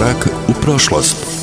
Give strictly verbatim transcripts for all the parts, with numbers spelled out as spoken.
Korak u prošlost.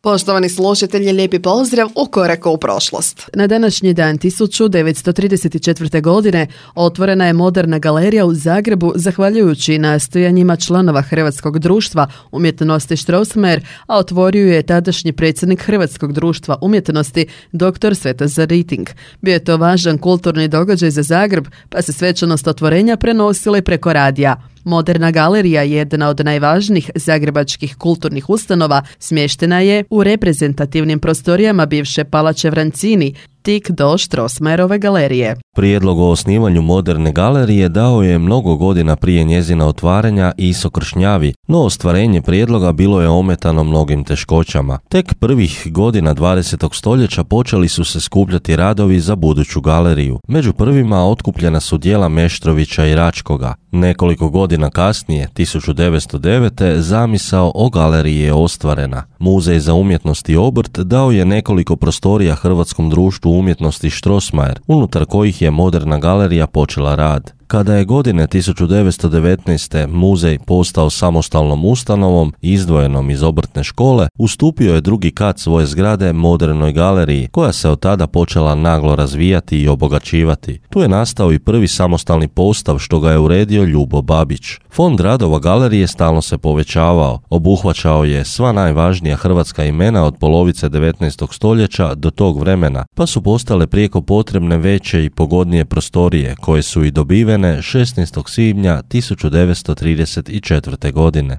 Poštovani slušatelji, lijepi pozdrav u Koraku u prošlost. Na današnji dan tisuću devetsto trideset četvrte. godine otvorena je moderna galerija u Zagrebu zahvaljujući nastojanjima članova Hrvatskog društva umjetnosti Strossmayer, a otvorio je tadašnji predsjednik Hrvatskog društva umjetnosti dr. Svetozar Riting. Bio je to važan kulturni događaj za Zagreb, pa se svečanost otvorenja prenosila i preko radija. Moderna galerija, jedna od najvažnijih zagrebačkih kulturnih ustanova, smještena je u reprezentativnim prostorijama bivše palače Vrancini, tik do Strossmayerove galerije. Prijedlog o osnivanju moderne galerije dao je mnogo godina prije njezina otvaranja Iso Kršnjavi, no ostvarenje prijedloga bilo je ometano mnogim teškoćama. Tek prvih godina dvadesetog stoljeća počeli su se skupljati radovi za buduću galeriju. Među prvima otkupljena su djela Meštrovića i Račkoga. Nekoliko godina kasnije, tisuću devetsto devete. zamisao o galeriji je ostvarena. Muzej za umjetnost i obrt dao je nekoliko prostorija Hrvatskom društvu umjetnosti Strossmayer, unutar kojih je moderna galerija počela rad. Kada je godine tisuću devetsto devetnaeste. muzej postao samostalnom ustanovom, izdvojenom iz obrtne škole, ustupio je drugi kat svoje zgrade modernoj galeriji, koja se od tada počela naglo razvijati i obogaćivati. Tu je nastao i prvi samostalni postav, što ga je uredio Ljubo Babić. Fond radova galerije stalno se povećavao, obuhvaćao je sva najvažnija hrvatska imena od polovice devetnaestog stoljeća do tog vremena, pa su postale prijeko potrebne veće i pogodnije prostorije, koje su i dobivene šesnaestog svibnja tisuću devetsto trideset četvrte. godine.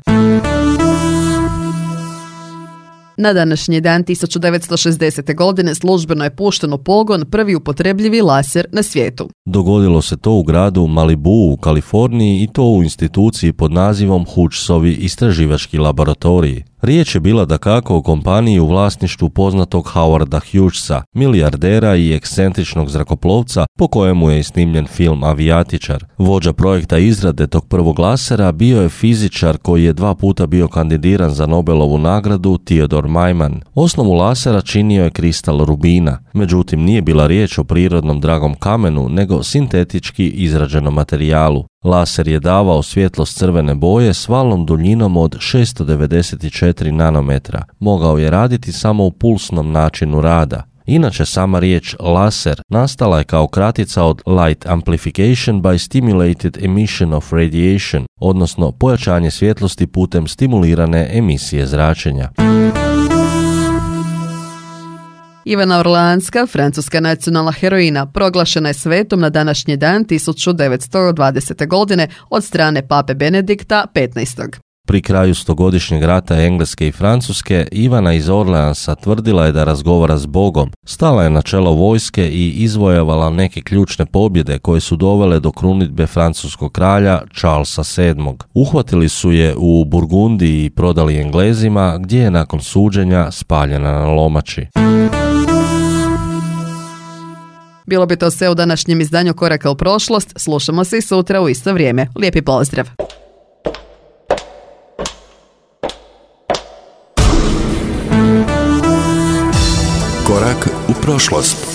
Na današnji dan tisuću devetsto šezdesete. godine službeno je pušten u pogon prvi upotrebljivi laser na svijetu. Dogodilo se to u gradu Malibu u Kaliforniji i to u instituciji pod nazivom Hughesovi istraživački laboratoriji. Riječ je bila dakako o kompaniji u vlasništvu poznatog Howarda Hughesa, milijardera i ekscentričnog zrakoplovca po kojemu je snimljen film Avijatičar. Vođa projekta izrade tog prvog lasera bio je fizičar koji je dva puta bio kandidiran za Nobelovu nagradu, Theodor Maiman. Osnovu lasera činio je kristal rubina, međutim nije bila riječ o prirodnom dragom kamenu, nego sintetički izrađenom materijalu. Laser je davao svjetlost crvene boje s valnom duljinom od šesto devedeset četiri nanometra. Mogao je raditi samo u pulsnom načinu rada. Inače, sama riječ laser nastala je kao kratica od Light Amplification by Stimulated Emission of Radiation, odnosno pojačanje svjetlosti putem stimulirane emisije zračenja. Ivana Orleanska, francuska nacionalna heroina, proglašena je svetom na današnji dan tisuću devetsto dvadesete. godine od strane pape Benedikta petnaestog. Pri kraju stogodišnjeg rata Engleske i Francuske, Ivana iz Orleansa tvrdila je da razgovara s Bogom, stala je na čelo vojske i izvojevala neke ključne pobjede koje su dovele do krunidbe francuskog kralja Charlesa sedmog. Uhvatili su je u Burgundiji i prodali Englezima, gdje je nakon suđenja spaljena na lomači. Bilo bi to sve u današnjem izdanju Koraka u prošlost. Slušamo se i sutra u isto vrijeme. Lijepi pozdrav! Korak u prošlost.